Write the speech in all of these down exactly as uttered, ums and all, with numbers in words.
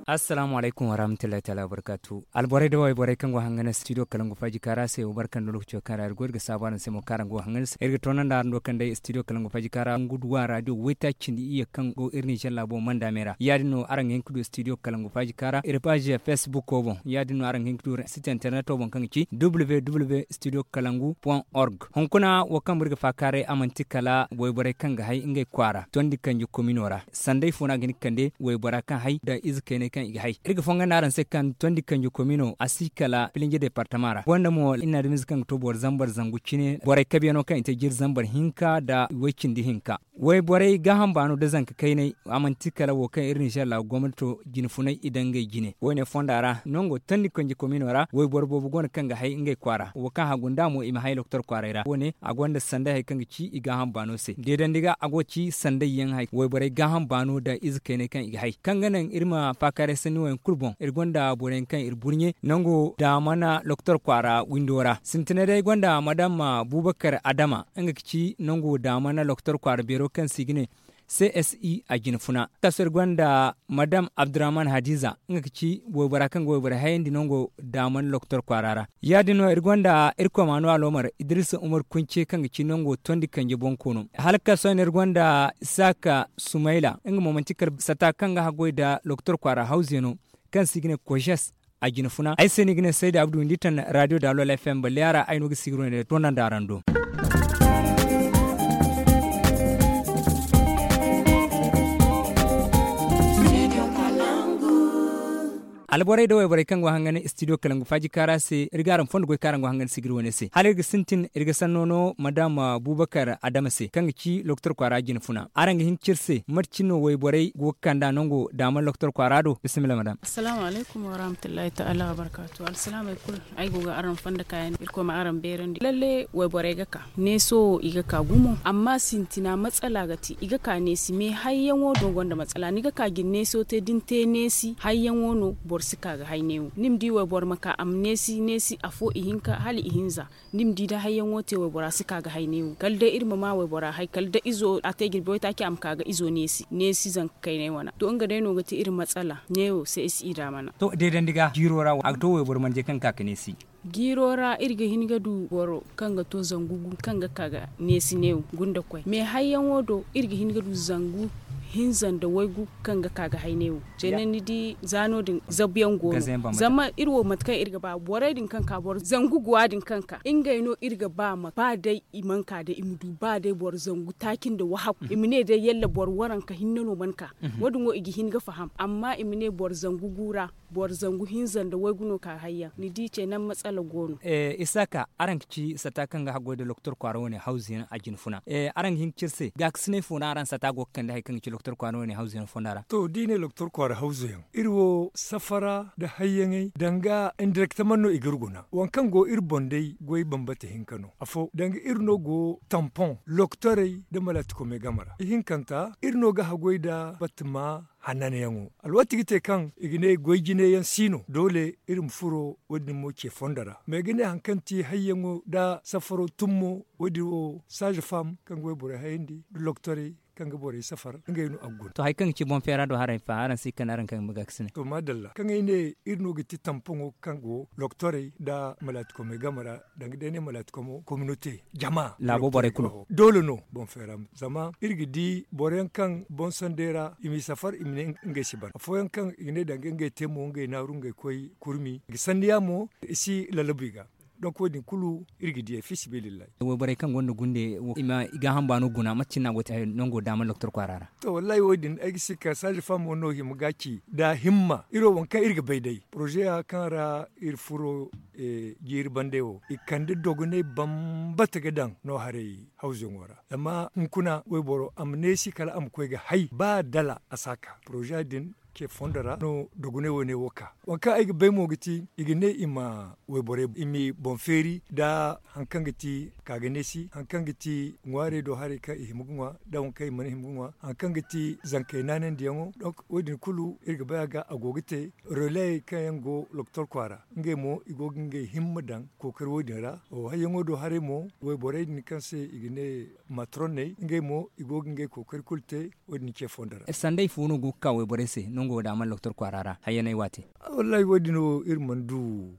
Assalaamu alaykum warahmatullahi taala wabarkaatu. Alborey da wayborey kaŋ go hangan studio kalangu faaji kaara se wo barka nda lokaco kaŋ ra iri go iri ga saabu araŋ se mo kaŋ araŋ go hangan se iri ga toonandi araŋ do kaŋ day studio kalangu faaji kaara nguduwa radio waytaaci cindi iyye kaŋ go iri ninzeer laabo manda me ra ya- din no araŋ ga hin ga du studio kalangu faaji kaara iri paazi fesbuko boŋ ya- din no araŋ ga hin ga du site interneto boŋ kaŋ ga ci www studio kalangu point org. Hunkuna wo kaŋ boro ga faakaaray a manti kala wayborey kaŋ ga hay ngey kwaara tondi kanji komino ra sanday fo no a ga hin ga kande waybora kaŋ hay nda ize kayney kaŋ i ga hay iri ga fonga nda araŋ se kaŋ tondi kanji komino a si kala filinje departama ra gonda mo iri na adamize kaŋ ga to boro zambar zangu cine borey kabyano kaŋ i te jiri zambar hinka nda waycindi hinka. Wayborey gaaham baano nda zanka kayney a manti kala wo kaŋ iri ninzeer laabu gomnato jine funay i daŋ ngey jine wo- ne fonda ra nango tondi kanji komino ra wayboro boobo go no kaŋ ga hay ngey kwaara wo kaŋ hagu nda mo i ma hay loktor kwaaray ra wo- ne a gonda sanday hari kaŋ ga ci i gaaham baano se deedandi ga a go ga ci sanday yaŋ hari wayborey gaaham baano nda ize kayney kaŋ i ga hay kaŋ ga naŋ iri ma faakaaray sanni wo- yaŋ kulu boŋ iri gonda boro yaŋ kaŋ iri burɲe nango daamana loktor kwaara windo ra sintinay day gonda madam buubakar adama nga ga ci nango daamana loktor kwaara beero kaŋ se i ga ne csi a jine funa kaso iri gonda madam abdurrahman hadiza nga ga ci waybora kaŋ ga wayborey hayandi nango daaman loktor kwaara ra ya- din no iri gonda iri komaano aloomar idrisa umar kunce kaŋ ga ci nango tondi kanje boŋ koono hala kaso no iri gonda isaaka sumayla nga mo manti kala sata kaŋ ga haggoy nda loktor kwaara hawze no kaŋ se i ga ne kojes a jine funa ay se no i ga ne sayda abdu windi taŋ radio daalol fm balliya ra ay no ga sigiro ne toonandi araŋ do alborey nda wayborey kaŋ go hangan studio kalangu faaji kaara se iri ga araŋ fondo goy kaŋ araŋ go hangan sigiri wane se hala iri ga sintin iri ga sanno no madam buubakar adama se kaŋ ga ci loktor kwaara jine funa araŋ ga hin ga ci iri se mate cine no wayborey go ga kand'a nango daama loktor kwaara do bisimilla madam. Assalaamu alaykum warahmatullahi taala wabarkaatu alsilaamey kulu. Ay go ga araŋ fonda kaayandi irkoy ma araŋ beerandi lalle wayborey ga ka neeso wo i ga ka gumo amma sintina matsala ga te i ga ka neesi me hayyaŋo do gonda matsala ni ga ka ga ni neeso te da ni te neesi hayyaŋo no boro si ka ga hay neewo ni ma di wayboro ma ka a ma neesi neesi afo ihinka hala ihinza ni ma di da hayyaŋo te waybora si ka ga hay neewo kala day iri ma ma waybora hay kala da izo a te jirbi waytaaci a ma ka ga izo neesi neesi zanka kaynay wana to nga day no ga te iri matsala neewo se ay si i daamana. To deedandi ga jiiro ra a ga to wayboro manje kaŋ ga ka ga neesi. Jiiro ra iri ga hin ga du boro kaŋ ga to zangu gu kaŋ ga ka ga neesi neewo gunda koy me hayyaŋo do iri ga hin ga du zangu hinza nda waygu kaŋ ga ka ga hay neewo. Ceene ni di za no- din zabuyaŋ go no zama iri wo mate kaŋ iri ga ba borey din kaŋ ka boro zangu guwa din kaŋ ka ngey no iri ga ba ma ba day i mana ka day i ma du ba day boro zangu taaci nda wahakku i ma ne day yalla boro waranka hinne no mana ka. Wo- din wo i ga hin ga faham amma i ma ne boro zangu gu ra boro zangu hinza nda waygu no ka hayyaŋ ni di ceene matsala go no. Isaaka araŋ ga ci sata kaŋ ga haggoy nda loktor kwaara wane hawzu yaŋ a jine funa araŋ ga hin ga ci iri se gaakasinay fo no araŋ sata go ga kande hari kaŋ ga ci loktor kwaara wane hawzu yaŋ fonda ra. To da i ne loktor kwaara hawzu yaŋ iri wo safara nda hayyaŋey danga indirekteman no i ga iri guna waŋ kaŋ go iri boŋ day goy bambata hinka no afo danga iri no go tampon loktorey nda malaatikomey game ra ihinkanta iri no ga haggoy nda batama hananyaŋo alwaati ga te kaŋ i ga ne goy jine yaŋ si no doole iri ma furo wo- din mo ce fondo ra ma i ga ne hari kaŋ ti hayyaŋo nda safaro tummo wo- din wo saaza fam kaŋ ga wayborey hayandi nda loktorey kaŋ ga borey safar ngey no a ga guna. To hari kaŋ ga ci boŋ feera do haray fa araŋ si kande araŋ kaŋ ga ma gaakasinay. To maadalla kaŋ ay ne iri no ga ti tampoŋo kaŋ go loktorey nda malaatikomey game ra danga day ne malaatikomo kominote jama laabo borey kulu. Doole no boŋ feera ma zama iri ga di boro yaŋ kaŋ boŋ sanday ra i m'i safar i ma ne ngey si ban afooyaŋ kaŋ i ga ne danga ngey te mo ngey naaru ngey koy kurmi i ga sanniya mo i si lalabu i ga. Donk wo- din kulu iri ga diyey fi sabilillahi. Wayborey kaŋ gonda gunde i ma i gaaham baano guna mate cine no a go te nango daama loktor kwaara ra? To wallahi wo- din ay ga si ka saaza famo no hima ga ci nda himma iri wo waŋ kaŋ iri ga bay day porozeya kaŋ ra iri furo jiiri bande wo i kande dogonay bambata ga daŋ no haray hawzuyaŋo ra zama hunkuna wayboro a ma neesi kala a ma koy ga hay ba dala a si a ka porozeya din ce fondo ra no dogonay wane wo ka waŋ kaŋ ay ga bay mo ga ti i ga ne i ma wayborey i m'i boŋ feeri nda hari kaŋ ga ti ka ga neesi hari kaŋ ga ti ŋwaarey do haray kaŋ i hima ga ŋwa nda waŋ kaŋ i mana hima ga ŋwa hari kaŋ ga ti zankey naanandiyaŋo donk wo- din kulu iri ga bay a ga a go ga te releyey kaŋ yaŋ go loktor kwaara ngey mo i go ga ngey himma daŋ kookari wo- din ra hayyaŋo do haray mo wayborey din kaŋ se i ga ne matronney ngey mo i go ga ngey kookari kulu te wo- din ce fondo ra. Sanday fo no go ga ka wayborey se? nga wo da a mana loktor kwaara ra hayyanay waate. Wallaahi wo- din wo iri mana du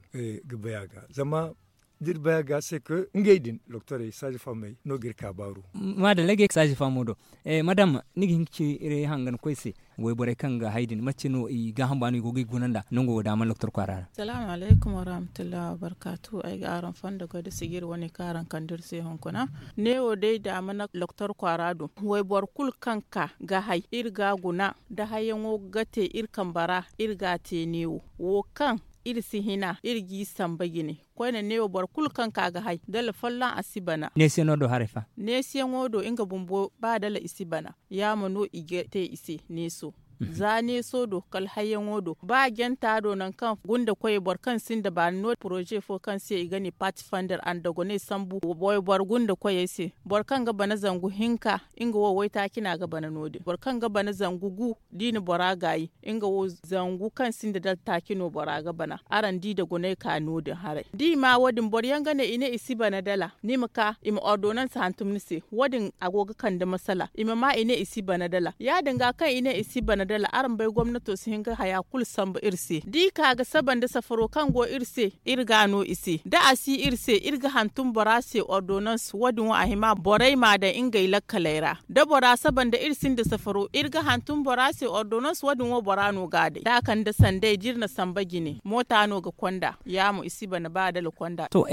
ga bay a ga zama da iri bay a ga se ka ngey din loktorey saaza fammey no ga iri ka baaru. Maadalla ay ga ye saaza fammo do. Madam, ni ga hin ga ci iri hangan koy se wayborey kaŋ ga hay din mate no i gaaham ba no i go ga i guna nd'a nango wo da a mana loktor kwaara ra? Salaamu alaykum warahmatullahi wabarkaatu. Ay ga araŋ fondo goy da sijiri wane kaŋ araŋ kande iri se hunkuna. Neewo day da a mana loktor kwaara do wayboro kulu kaŋ ka ga hay iri ga a guna da hayyaŋo ga te iri kambe ra. Iri ga a te neewo wo kaŋ iri si hina iri g'i samba jine. Koyne neewo boro kulu kaŋ ka ga hay dala folloŋ a si bana. Neesiyaŋo do haray fa? Neesiyaŋo do nga bumbo ba dala i si bana. Yaama no i ga te i se neeso. Za neeso do kala hayyaŋo do ba janta do nangu kaŋ gunda koyey boro kaŋ sinda baani no- din poroze fo kaŋ se i ga ne paati fander andagoney sambu wayboro gunda koyey se. Boro kaŋ ga bana zangu hinka nga wo waytaaci no a ga bana no- din boro kaŋ ga bana zangu gu da i na bora gaayi nga wo zangu kaŋ sinda dala taaci no bora ga bana. Araŋ di dagoney ka no- din haray da i ma wo- din boro yaŋ ga ne i ne i si bana dala ni ma ka i ma ordonanse hantum ni se. Wo- din a go ga kande masala i ma ma i ne i si bana dala ya- din ga kaŋ i ne i si bana dala araŋ bay gomnato si hin ga haya kulu sambu iri se da i ka ga saba nda safaro kaŋ go iri se. Iri ga a no i se da a si iri se iri ga hantum bora se ordonanse wo- din wo a hima borey m'a daŋ ngey lakkaley ra da bora saba nda iri sinda safaro iri ga hantum bora se ordonanse wo- din wo bora no ga a day da a kande sanday da iri na samba jine moota no ga konda. Ya mo i si bana ba dala konda. To,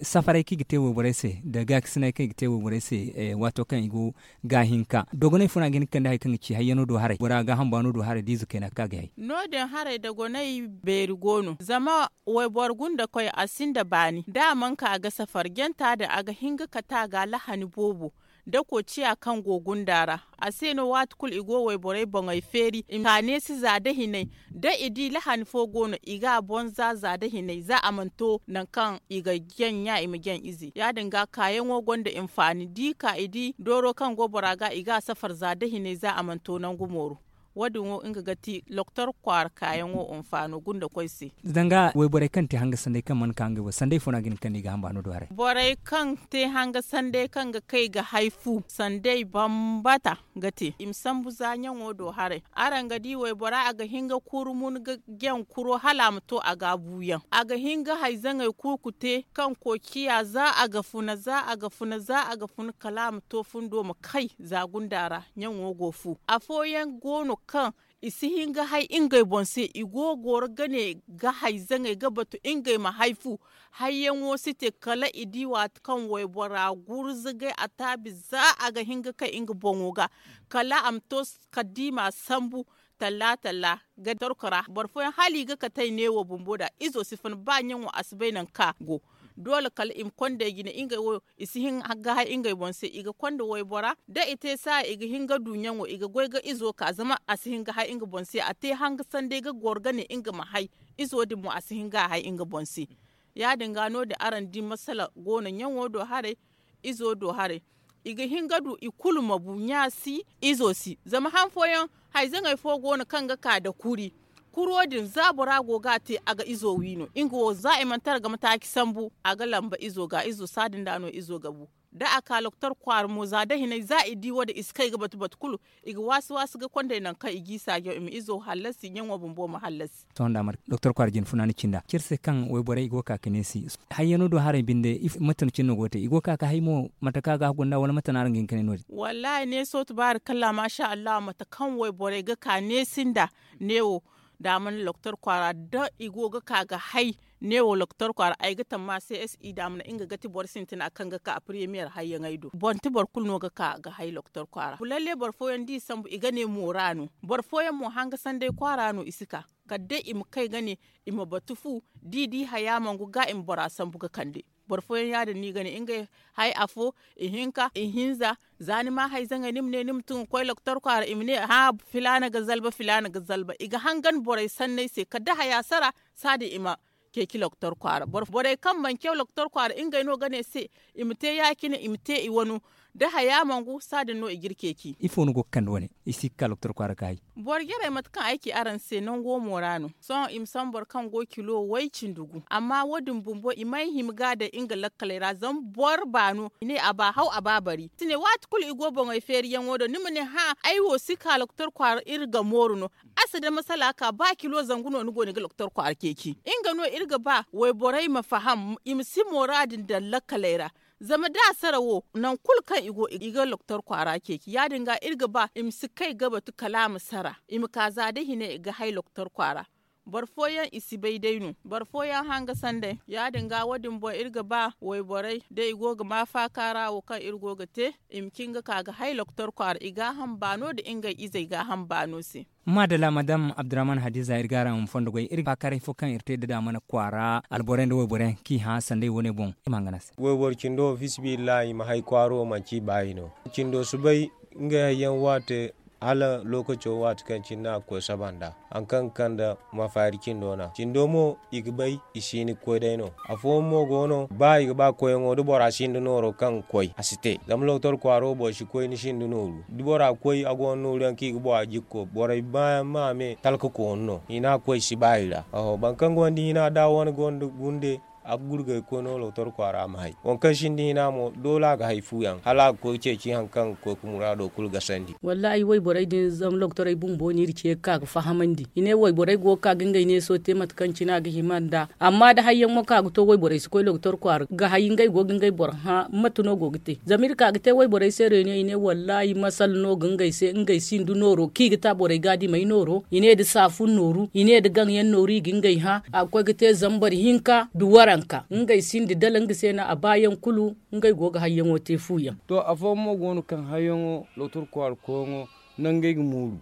safaray kaŋ i ga te wayborey se nda gaakasinay kaŋ i ga te wayborey se waato kaŋ i go ga hinka dogonay funa ga hin ga kande hari kaŋ ga ci hayyano do haray bora gaaham baano do haray da ize kayna kaŋ a ga hay. No- din haray dogonay beeri go no zama wayboro gunda koy a sinda baani da a mana ka ga safar janta din a ga hin ga kate a ga lahani boobo. Dako ciya kaŋ go gunda ra a se no waati kulu i go wayborey boŋey feeri i ma ka neesi za da hinay da i di lahani fo go no i ga a boŋ za za da hinay za a mana to nangu kaŋ i ga jaŋ ɲa i ma jaŋ ize ya- din ga kaayaŋo gonda hinfaani da i ka i di dooro kaŋ go bora ga i ga a safar za da hinay za a mana to nangu mooru. Wo- din wo nga ga ti loktor kwaara kaayaŋo hinfaano gunda koy se. Danga wayborey kaŋ te hanga sanday kaŋ mana ka ngey wo sanday fo no a ga hin ga kande i ga hamba no do haray? Borey kaŋ te hanga sanday kaŋ ga kay ga hay fu sanday bambata ga te i ma sambu za ɲaŋo do haray. Araŋ ga di waybora a ga hin ga kuru mun ga jaŋ kuro hala a ma to a ga a buuyaŋ a ga hin ga hay zaŋey kuuku te kaŋ koociya za a ga funa za a ga funa za a ga funa kala a ma to fundo ma kay za gunda ra. Ɲaŋo go fu afooyaŋ go no kaŋ i si hin ga hay ngey boŋ se i go ga goro ga ne ga hay zaŋey ga batu ngey ma hay fu. Hayyaŋo si te kala i di waati kaŋ waybora gurzugay a taabi za a ga hin ga kay nga boŋo ga kala a ma to kala da i m'a sambu talla talla ga torko ra boro fooyaŋ hala i ga kate ay neewo bumbo nd'a izo si fun ba ɲaŋo a si bay nangu kaŋ a go. Doole kala i ma konda ay jine ngey wo i si hin ga hay ngey boŋ se i ga konda waybora da i te saaya i ga hin ga du ɲaŋo i ga goy ga izo ka zama a si hin ga hay nga boŋ se a te hanga sanday ga goro ga ne nga ma hay. Izo din mo a si hin ga a hay nga boŋ se. Ya- din ga no- din araŋ di masala go no ɲaŋo do haray. Izo do haray i ga hin ga du i kulu ma bu ɲa si izo si zama han fooyaŋ hayzaŋey fo go no kaŋ ga ka nda kuri. Kuro din za bora go ga a te a ga izo wi no nga wo za i mana tara ga mataaci sambu a ga lamba izo ga izo saadin da no izo ga bu. Da a ka loktor kwaara mo za da hinay za i di wo- din i si kay ga batu batu kulu. I ga waasi waasi ga kondey nangu kaŋ i g'i saajaw i ma izo hallasi ɲaŋo bumbo ma hallasi. Sohõ da mana doktor kwaara jine funa ni cinda ciri se kaŋ wayborey i go ga ka ga neesi. Hayyano do haray binde mate no cine no go ga te i go ga ka ga hay mo mate kaŋ a ga hagu nd'a wala mate no araŋ ga hin ga ne no- din? Wallaahi neeso tubaari kalla maasa allahu mate kaŋ wayborey ga ka neesi nd'a. Neewo da a mana doktor kwaara da i go ga ka ga hay. Neewo doktor kwaara ay ga tamma c s i da a mana nga ga ti boro sintina kaŋ ga ka premiyer hayyaŋey do boro nti boro kulu no ga ka ga hay doktor kwaara lalle boro fooyaŋ da i sambu i ga ne moora no. Boro fooyaŋ mo hanga sanday kwaara no i si ka kala day i ma kay ga ne i ma batu fu. Da i di haya mangu ga i ma bora sambu ga kande. Boro fooyaŋ ya- din no i ga ne ngey hay afo, ihinka ihinza. Za ni ma hayzaŋey ni ma ne ni ma tun ga koy doktor kwaara i ma ne hã filaana ga zalba filaana ga zalba i ga hangan borey sanney se kala da haya sara. Saadin i ma ceeci doktor kwaara borey kaŋ mana caw doktor kwaara ngey no ga ne se i ma te ya- cine i ma te i wano. da haya mangu saadin no i ga iri ceeci. Ifo ni go ga kande wane? I si ga ka loktor kwaara ga hay. Boro jarey mate kaŋ ay ci araŋ se nango mo ra no. Sohõ i ma sambu boro kaŋ go kilo way cindi gu amma wo- din bumbo i may hima ga a daŋ nga lakkaley ra zama boro baano i ne a ba haw a ba bari si ne waati kulu i go boŋey feeriyaŋo do ni ma ne hã ay wo si ka loktor kwaara iri ga mooru no. A si da masala ka ba kilo zangu no ni go no i ga loktor kwaara ceeci nga no iri ga ba wayborey ma faham i ma si moora din daŋ lakkaley ra. Zama da a sara wo nangu kulu kaŋ i go i ga loktor kwaara ceeci ya- din ga iri ga ba i ma si kay ga batu kala a ma sara i ma ka za da hine i ga hay loktor kwaara. Boro fooyaŋ i si bay day no boro fooyaŋ hanga sanday ya- din ga wo- din boŋ iri ga ba wayborey da i go ga ma faaka ra wo kaŋ iri go ga te i ma cin ga ka ga hay loktor kwaara i gaaham baano nda ngey izey gaaham baano se. Maadalla madam abdurrahman hadiza iri ga araŋ fondo goy iri ga faakaaray fo kaŋ iri te da daamana kwaara alborey nda wayborey kaŋ i hã sanday wo- ne boŋ i ma hangan a se. Wayboro cindo wo fisibillahi i ma hay kwaara wo manci i baayi no. Cindo si bay ngey hayyaŋ waate hala lookaco waate kaŋ cine no a ga koy saba nd'a. Hari kaŋ ga kande mafaari cindo no a cindo mo i ga bay i si hin ga koy day no. Afooyaŋ mo go no ba i ga ba koyyaŋo da bora sinda nooro kaŋ ga koy a si te zama lokotor kwaaro boro si koy ni sinda nooru da bora koy a go no nooru yaŋ kaŋ i ga bora jikko borey baayaŋ ma a me talka koonu no hina ga koy si ba i ra. Oho boro kaŋ gonda hina da a wane gonda gunde a ga gurgay ga koy no lokotor kwaara ma hay. Waŋ kaŋ sinda hina mo doole a ga hay fu yaŋ hala a ga koy ga ceeci hari kaŋ ga koy ga muraado kulu gasandi. Wallaahi wayborey din zama lokotorey bumbo no iri ce ga ka ga fahamandi i ne wayborey go ga ka ga ngey neeso te mate kaŋ cine a ga hima nd'a. Amma da hayyaŋ mo kaŋ a ga to wayborey si koy lokotor kwaara ga hay ngey go ga ngey boro hã mate no go ga te zama iri ka ga te wayborey se reeno i ne wallaahi masala no ga ngey se ngey sinda nooro kaŋ i ga ta borey ga a di may nooro i ne nda saafun nooru i ne nda gaŋ yaŋ nooru i ga ngey hã a ga koy ga te zambar hinka nda waranka ngey sinda dala nga se no a baayaŋ kulu. Ngey go ga hayyaŋo te fu yaŋ. To afooyaŋ mo go no kaŋ hayyaŋo lokotor kwaara koyyaŋo nangey ga mooru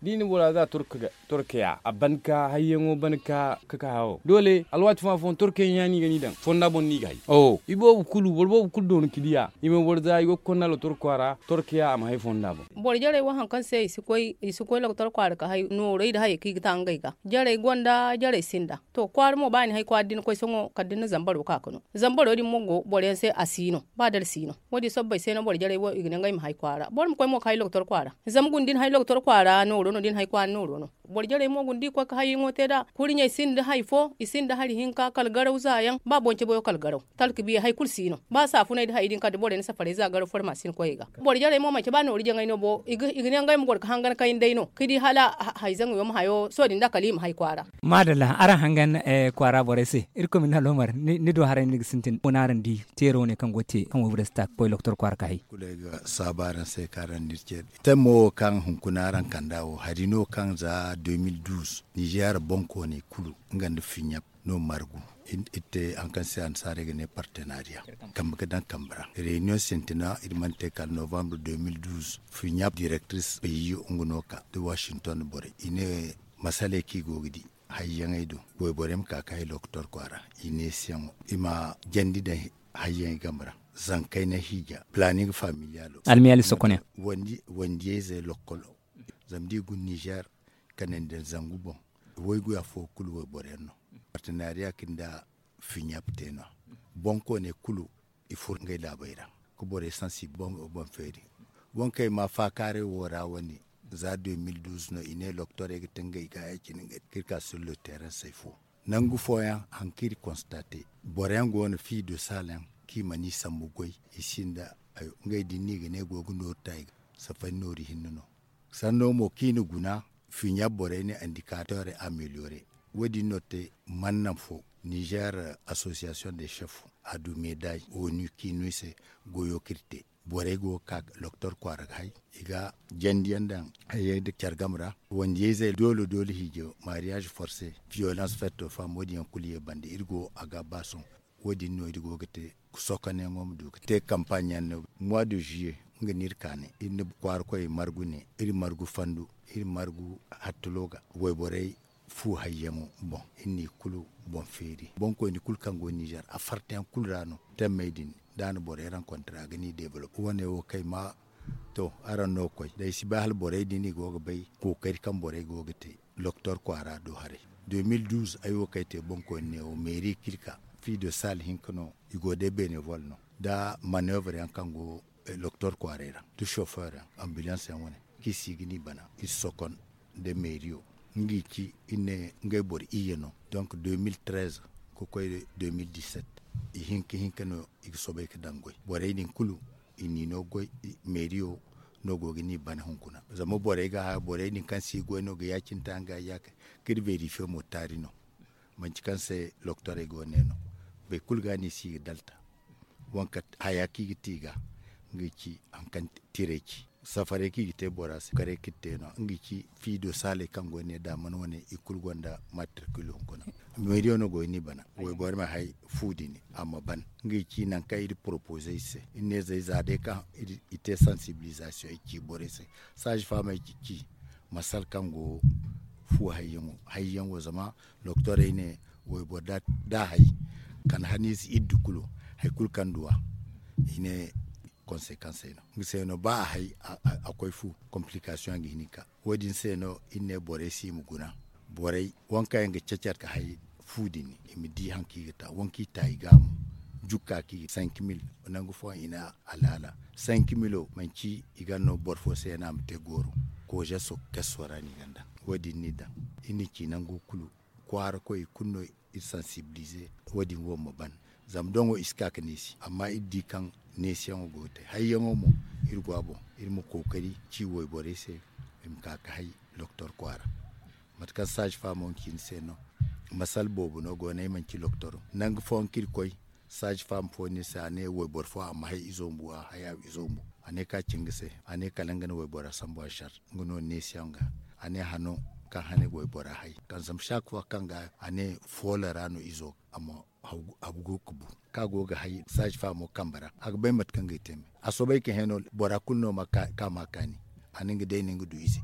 da i na bora za torkaya a ban ka hayyaŋo ban ka ka hawo doole alwaati fooyaŋ afooyaŋ torkayyaŋ ya no i ga ni daŋ fonda boŋ no i ga hay. Iboobo kulu boro boobo kulu doona ka diya i ma boro za i go ga konda lokotor kwaara torkaya a ma hay fonda boŋ. Boro jarey wo hari kaŋ se i si koy lokotor kwaara ka hay noorey nda hayey kaŋ i ga ta ngey ga jarey gonda jarey sinda. To kwaara mo ba i na hay kwaara da ni koy sohõ kala da ni na zambaro ka ga no zambaro din mo go boro yaŋ se a si no ba dala si no. Wo- din sobbay se no boro jarey wo i ga ne ngey ma hay kwaara boro ma koy mo ga hay lokotor kwaara. Zama guna da ni hay lokotor kwaara nooro no da ni hay kwaara nooro no. Boro jarey mo guna da i koy ga hayyaŋo te nd'a kurɲey sinda hari fo i sinda hari hinka kala garaw za yaŋ ba boŋ cabe wo kala garaw talka biya hari kulu si no ba saafuney nda hayey din kala da borey na safarey za garaw farmasi ni koyey ga. Boro jarey mo manci ba nooru jaŋay no bo i ga ne ngey ma goro ga hangan kayna day no ga di hala hayzaŋey wo ma hayo sohõ din da kala i ma hay kwaara. Maadalla araŋ hangan kwaara borey se irkoy ma ni aloomar ni do haray no ni ga sintin wane araŋ di teero wane kaŋ go ga te kaŋ wayborey si ta ga koy lokotor kwaara ka hay. Kulu ay ga saabu araŋ se kaŋ araŋ na iri ce temo wo kaŋ hunkuna araŋ kand'a wo hari no kaŋ za deux mille douze nizeer boŋkooney kulu nga nda fiɲap no margu. Iri te hari kaŋ se annasaarey ga ne partenariya kambe ga daŋ kambe ra reunion sintina iri mana te kala novembre deux mille douze fiɲap directrice pays nga no ka da washington borey i ne masaley kaŋ i go ga di hayyaŋey do wayborey ma ka ga hay lokotor kwaara i neesiyaŋo i ma jandi daŋ hayyaŋey game ra zankey na hiija planning familialo almiyali sokoneyaŋ wandiyayzey lokkolo zama da i guna nizeer kanandi nda zangu boŋ waygu afo kulu wayborey yaŋ no partenariya kaŋ nda fiɲap te no-ya boŋkooney kulu i furo ngey laabey ra ga borey sansi boŋ feeri boŋ kaŋ ay ma faakaaray wo ra wane za deux mille douze no i ne loktorey ga te ngey ga ya cine ngey kaŋ iri ka sur le terrain say fo nangu fooyaŋ hari kaŋ iri constate boro yaŋ go no fille de salle yaŋ kaŋ i mana i sambu goy i sinda hayo ngey din no i ga ne go ga nooru ta i ga safari nooru hinne no sanno mo kaŋ i na guna fiɲa borey ne indicateur amélioré wo- din no te mana naŋ fo nizer association de chef a du meday onu kaŋ i no i se goyo kaŋ iri te borey go ga ka loktor kwaara ga hay i ga jandiyaŋ daŋ hayey nda care game ra wandiyayzey doole doole hiijo mariage forcé violence faite aux femmes wo- din yaŋ kulu ye banda iri go a ga ba sohõ wo- din no iri go ga te sokonayaŋo ma du ga te campagne yaŋ no mois de juillet nga no iri ka ne iri na kwaara koy margu ne iri margu fandu iri margu hattulo ga wayborey fu hayyaŋo boŋ iri n'i kulu boŋ feeri boŋkoyne kulu kaŋ go nizer a fartayaŋ kulu ra no temmey din da a na borey rencontre a ga n'i développe wo- ne wo kaŋ ay ma to araŋ no ga koy day si bay hala borey din i go ga bay kookari kaŋ borey go ga te loktor kwaara do haray deux mille douze ay wo kaŋ ay te boŋkoyne ne wo meeri kaŋ iri ka fille de salle hinka no i go day bénévole no da manoeuvre yaŋ kaŋ go Loktor kwaaray ra da chauffeur yaŋ, ambulance yaŋ wane, kaŋ i si ga ni bana, iri sokon nda meeriyo. Nga i ci iri ne ngey boro iyye no. Donk deux mille treize ka koy deux mille dix-sept, i hinka hinka no i ga soobay ga daŋ goy. Borey din kulu i n'i no goy. Meeriyo no go ga ni bana hunkuna, zama borey ga hã borey din kaŋ si goy no ga ya- cine taŋ ga ya- ka iri verifiye mo taari no. Manci kaŋ se loktorey go ne no. Boro kulu ga no i si ga dalta. Wanka haya kaŋ i ga te i ga, nga ga ci haŋ kaŋ tiray ci safaray kaŋ i ga te bora se karay kaŋ i ga te no nga ga ci fiido saaley kaŋ go ne da a mana wane i kulu gonda matrikil hunkuna. Meeriyo no go ga ni bana wayborey ma hay fu din a ma ban. Nga ga ci nangu kaŋ iri poropoze i se iri ne zay za day kaŋ i te sansibilizasiyoŋ i ci borey se. Saazi faamey ci ci masal kaŋ go fu hayyaŋo hayyaŋo zama doktorey ne wayboro da a hay kala haniize iddu kulu, hari kulu kaŋ duw'a i ne konsekansey no. Nga se no ba a hay a koy fu, komplikasiyoŋ ga hin ga ka. Wo- din se no iri ne borey se i ma guna borey waŋ kaŋ yaŋ ga cecer ga hay fu din i ma di hari kaŋ i ga ta waŋ kaŋ i ta i ga mo. Jukka kaŋ i ga cinq mille nangu fooyaŋ i na alhaala cinq mille manci i ga no boro fo se no a ma te gooro. Kooze so keso ra no i ga ni daŋ. Wo- din no i daŋ iri na ci nango kulu kwaara koy i kulu no iri sansibilize. Wo- din wo ma ban zama doŋo i si ka ga neesi amma iri di kaŋ neesiyaŋo go ga te hayyaŋo mo. Iri go a boŋ iri ma kookari ci wayborey se i ma ka ga hay doktor kwaara. Mate kaŋ saazi faamo ga ci ni se no masal boobo no go no ay mana ci doktoro nangu fooyaŋ kaŋ iri koy. Saazi faamo fo no iri se a ne wayboro fo a ma hay izo bumbo a hay a izo bumbo. A ne kaŋ a ci nga se a ne kala nga na waybora sambu a sar nga no neesiyaŋ ga. A ne hano kaŋ hane waybora hay kaŋ zama saak fo kaŋ ga a ne foolo ra no izo a ma a ga go ga bu kaŋ a go ga hay saazi faamo kambe ra a ga bay mate kaŋ ga ay te me. A soobay ka hẽ no bora kulu no ma ka ma kaani. A na nga day no nga du ize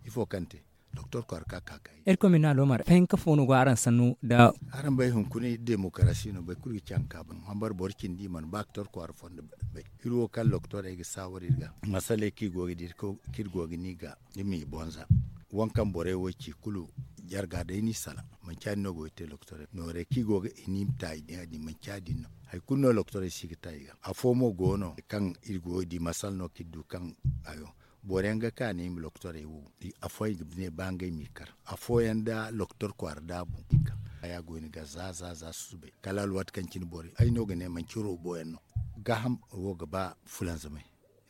ifo kaŋ te doktor kwaara ka ka kay. Irkoy ma ni no aloomar fahinka fo no go araŋ sannu nda araŋ bay hunkuna iri demokarasi no boro kulu ga ci haŋ kaŋ a ban hambar boro cindi i mana ba doktor kwaara fondo bay. Iri wo kaŋ doktorey ga saawar iri ga masaley kaŋ iri go ga di kaŋ iri go ga ni ga iri m'i bonza. Waŋ kaŋ borey wo ci kulu jarga day no i salaŋ. Manci ya- din no go ga te doktorey noorey kaŋ i go ga i ni ma ta i din ya- din manci ya- din no. Hari kulu no doktorey si ga ta i ga afo mo go no kaŋ iri go ga di masala no kaŋ iri du kaŋ hayo. Boro yaŋ ga ka ne i ma doktorey wo afooyaŋ i ga ne ba ngey m'i kar. Afooyaŋ da doktor kwaara da a boŋ i ga haya go ni ga za za za susubay kala alwaati kaŋ cine borey ay no ga ne manci roobo yaŋ no. Gaaham wo ga ba fulanzamay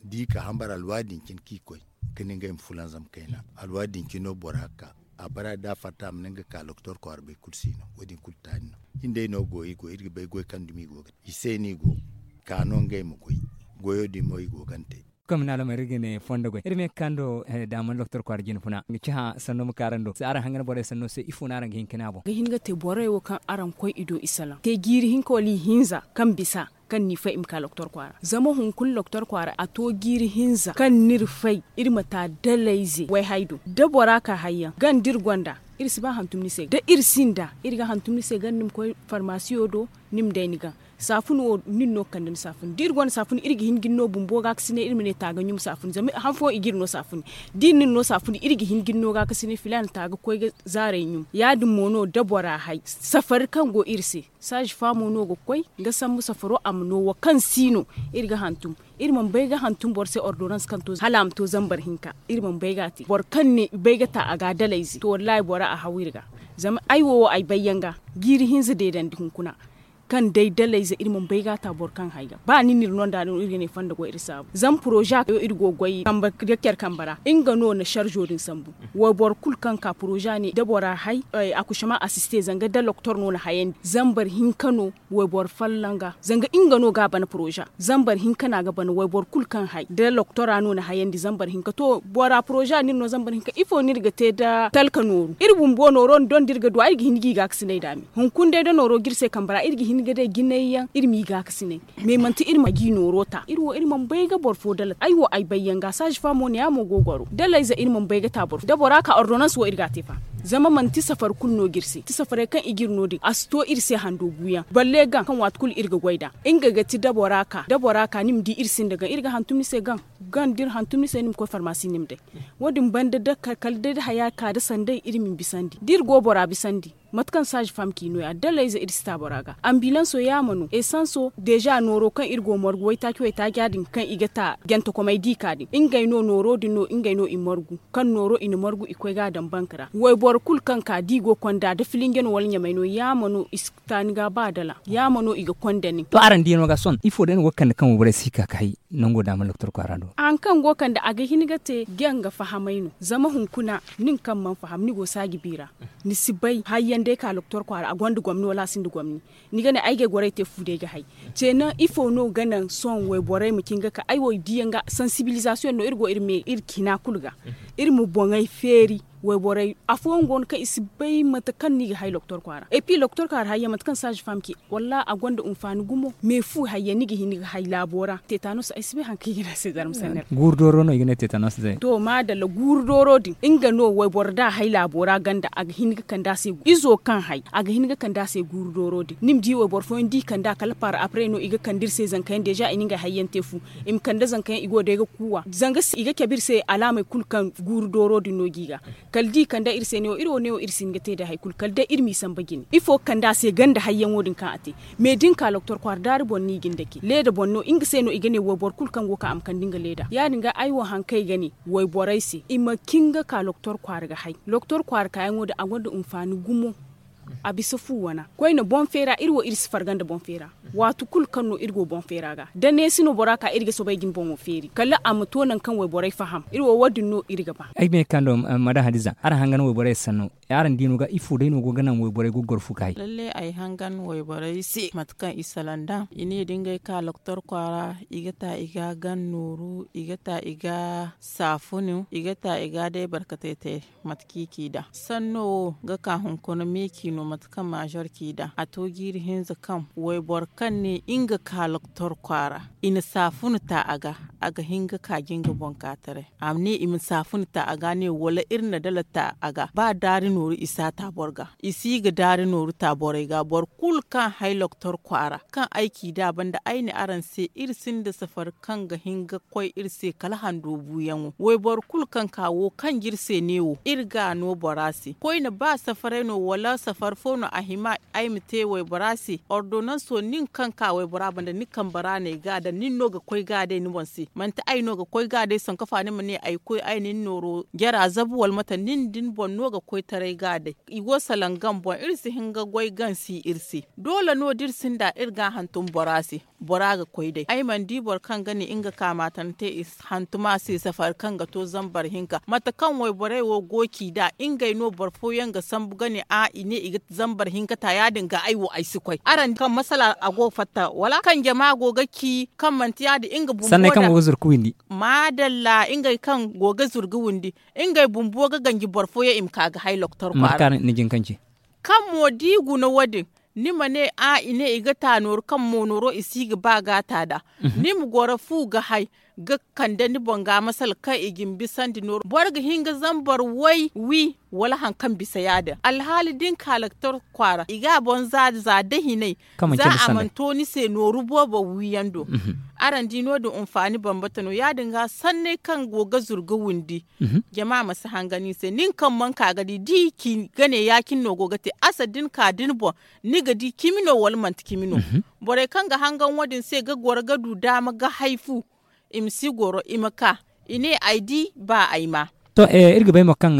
da i ka hambar alwaati din cine kaŋ i koy ga ne ngey ma fulanzam kayna. Alwaati din cine no bora ga ka a bara da a fatta a ma ne nga ga ka doktor kwaara bay kulu si no wo- din kulu taani no. Iri day no go iri go iri ga bay goy kaŋ dumi i go ga te i se no i go ka no ngey ma goy. Goyo din mo i go ga ni te. Kaŋ ma ne alamari iri ga ne fondo goy iri ma ye ga ka ni do. Da a mana doktor kwaara jine funa ga ci hã sanno ma ka araŋ do se araŋ hangan borey sanno se ifo no araŋ ga hin ka ne a boŋ. Ga hin ga te borey wo kaŋ araŋ koy i do i salaŋ te jiiri hinka wala ihinza kaŋ bisa kaŋ ni fay i ma ka doktor kwaara zama hunkuna doktor kwaara a to jiiri hinza kaŋ no iri fay iri ma ta dalayze wayhay do da bora ka hayyaŋ ganda iri gonda iri si ba hantum ni se da iri sinda iri ga hantum ni se ganda ni ma koy farmasiyo do. Ni ma day ni ga saafun wo nin no ga kande ni saafun da iri gonda saafun iri ga hin ga ni no bumbo ga ka sine iri ma ne ta ga ɲum saafun zama han fooyaŋ i ga iri no saafun da iri nin no saafun iri ga hin ga ni no ga ka sine filaana ta ga koy ga zaaray ɲum ya- din mo no da bora hay safari kaŋ go iri se saazi faamo no ga koy ga sambu safaro a ma no wo kaŋ si no iri ga hantum. Iri mana bay ga hantum boro se ordonans kaŋ to hala a ma to zambar hinka iri mana bay ga a te boro kaŋ ne i bay ga ta a ga dalayze to wallaahi bora a haw iri ga. Zama ay wo wo ay bayyaŋ ga jiiri hinza deedandi hunkuna kaŋ day dalayze iri mana bay ga a ta boro kaŋ hay ga ba ni n'iri no nd'a no iri ga ne fonda go iri saabu zama poroza kaŋ iri go ga goy kambe ga care kambe ra nga no na sarzo din sambu. Wayboro kulu kaŋ ka poroza ne da bora hay akusama asiste zanga da doktor no na hayandi zambar hinka no wayboro folloŋ ga zanga nga no ga a bana poroza zambar hinka no a ga bana wayboro kulu kaŋ hay da doktora no na hayandi zambar hinka to bora poroza no iri no zambar hinka ifo no iri ga te da talka nooru iri bumbo nooro nda iri ga duw'a iri ga hin ga i gaakasinay nd'a me hunkuna day da nooro ga iri se kambe ra iri ga hin ga day jinay yaŋ iri m'i gaakasinay. Mais manti iri ma ga i nooro ta iri wo iri mana bay ga boro fo dala ay wo ay bayyaŋ ga saazi faamo ne ya mo go ga gwaro dalayze iri mana bay ga ta boro fo da bora ka ordonans wo iri ga a te fa. Zama manti safari kulu no ga iri se manti safaray kaŋ i ga iri no din a si to iri se hando guyaŋ balle gaŋ kaŋ waati kulu iri ga goy nd'a. Nga ga ti da bora ka da bora ka ni ma di iri sinda gaŋ iri ga hantum ni se gaŋ gaŋ da iri hantum ni se ni ma koy farmasi ni ma day. Wo- din banda da kala day da haya ka da sanday iri ma i bisandi da iri go bora bisandi. Mate kaŋ saazi fam ci no- ya dallayze iri si ta bora ga. Ambilanso yaama no esanso deeza nooro kaŋ iri go margu waytaaci waytaaci ya- din kaŋ i ga ta jantakomey di ka din ngey no nooro din no ngey no i margu kaŋ nooro i na margu i koy ga a daŋ bank ra wayboro kulu kaŋ ka da i go konda da filinje no wala ɲamey no yaama no i si ta ni ga ba dala yaama no i ga konda nin. To araŋ diyaŋo ga sohõ ifo day no go ga kande kaŋ wayborey si ka ga hay nango daama doktor kwaara do? Hari kaŋ go ga kande a ga hin ga te janga fahamay no zama hunkuna nin kaŋ mana faham ni go saaji bi ra ni si bay hayyaŋ day ka doktor kwaara a gonda gomni wala a sinda gomni. Ni ga ne ay ga ay gorey te fu day ga hay. Ceena ifo no ga naŋ sohõ wayborey ma cin ga ka ay wo i diyaŋ ga sansibilizasiyoŋ no iri go iri me iri cina kulu ga iri ma boŋey feeri. Wayborey afooyaŋ go no kaŋ i si bay mate kaŋ no i ga hay doktor kwaara epi doktor kwaara hayyaŋ mate kaŋ saazi fam ci wallaahi a gonda hinfaani gumo me fu hayyaŋ ni ga hin ga hay laabo ra teetanos ay si bay hari kaŋ i ga ne a se zarma sanni ra. Guuru dooro no i ga ne teetanos day. To maadalla guuru dooro din nga no wayboro da a hay laabo ra ganda a ga hin ga kande a se izo kaŋ hay a ga hin ga kande a se guuru dooro din ni ma di wayboro fooyaŋ da i kande a kala par après no i ga kande iri se zanka yaŋ deeza i na ngey hayyaŋ te fu. I ma kande zanka yaŋ i go day ga kuuwa zanga i ga cabe iri se alaamey kulu kaŋ guuru dooro din no ga i ga. Kala da i kande iri se neewo iri wo neewo iri si hin ga te day hari kulu kala day iri m'i samba jine ifo ga kande a se ganda hayyaŋo din kaŋ a te. Mais da ni ka doktor kwaara daari boŋ no i ga ni dake leeda boŋ no nga se no i ga ne wayboro kulu kaŋ go ga ka a ma kande nga leeda ya- din ga ay wo hari kaŋ ay ga ne wayborey se i ma cin ga ka doktor kwaara ga hay doktor kwaara kaayaŋo din a gonda hinfaani gumo. A bisa fu wana koyne boŋ feera iri wo iri si farga nda boŋ feera. Waati kulu kaŋ no iri go boŋ feera ga da neesi no bora ka iri ga soobay ga ni boŋo feeri kala a ma to nangu kaŋ wayborey faham iri wo wo- din no iri ga ba. Ay ga may ga ka nda madam hadiza araŋ hangan wayborey sanno araŋ diino ga ifo day no go ga naŋ wayborey go ga goro fu ga hay? Lalle ay hangan wayborey se mate kaŋ i salaŋ nd'a i ne da ngey ka doktor kwaara i ga ta i ga gan nooru i ga ta i ga saafunu i ga ta i ga day barkatey te. Mate kaŋ i ci nd'a sanno wo ga ka hunkuna meeci no mate kaŋ maažor ci nd'a a to jiiri hinza kaŋ wayboro kaŋ ne nga ka doktor kwaara i na saafunu ta a ga a ga hin ga ka jinga boŋ ka taray. A ma ne i ma saafuna ta a ga ne wala iri na dala ta a ga ba daari nooru i si a ta boro ga i si ga daari nooru ta borey ga boro kulu kaŋ hay loktor kwaara kaŋ ay ci nd'a banda ay ne araŋ se iri sinda safari kaŋ ga hin ga koy iri se kala hando buuyaŋo wayboro kulu kaŋ ka wo kaŋ ga iri se neewo iri ga a no bora se koyne ba safaray no wala safari fo no a hima ay ma te waybora se ordonanso nin kaŋ ka waybora banda ni kambe ra no ay ga a daŋ nin no ga koy ga a day ni boŋ se manti ay no ga koy ga a day sankafa ni ma ne ay koy ay na ni nooro jara zabu wala mate nin da ni boŋ no ga koy taray ga a day i go salaŋ gam boŋ iri si hin ga goy gansi iri se doole no da iri sinda iri ga a hantum bora se bora ga koy day ay mana di boro kaŋ ga ne nga ka maatante i hantum a se safari kaŋ ga to zambar hinka mate kaŋ wayborey wo go ci nd'a ngey no boro fooyaŋ ga sambu ga ne a i ne i ga zambar hinka ta ya- din ga ay wo ay si koy araŋ kaŋ masala a go ga fatta wala kaŋ jama go ga ci kaŋ manti ya- din nga bumbo sanney kaŋ go ga zuru ga windi maadalla ngey kaŋ go ga zuru ga windi ngey bumbo ga ganji boro fooyaŋ i ma ka ga hay loktor kwaara kaŋ mo da i guna wo- din ni ma ne a i ne i ga ta nooru kaŋ mo nooro i si ga ba ga ta nd'a ni ma goro fu ga hay ga kande ni boŋ ga masala kaŋ i ga ni bisandi nooru boro ga hin ga zambar way wi wala hari kaŋ bisa ya- din alhaali da ni ka loktor kwaara i ga a boŋ za za da hinay za a mana to ni se nooru boobo wiiyaŋ do araŋ di no- din hinfaani bambata no ya- din ga sanney kaŋ go ga zuru ga windi jama ma si hangan i se nin kaŋ mana ka ga di da i ci ga ne ya- cine no go ga te asa da ni ka da ni boŋ ni ga di cimi no wala manti cimi no borey kaŋ ga hangan wo- din se ga goro ga du daama ga hay fu i ma si goro i ma ka i ne ay di ba ay ma to iri ga bay mo kaŋ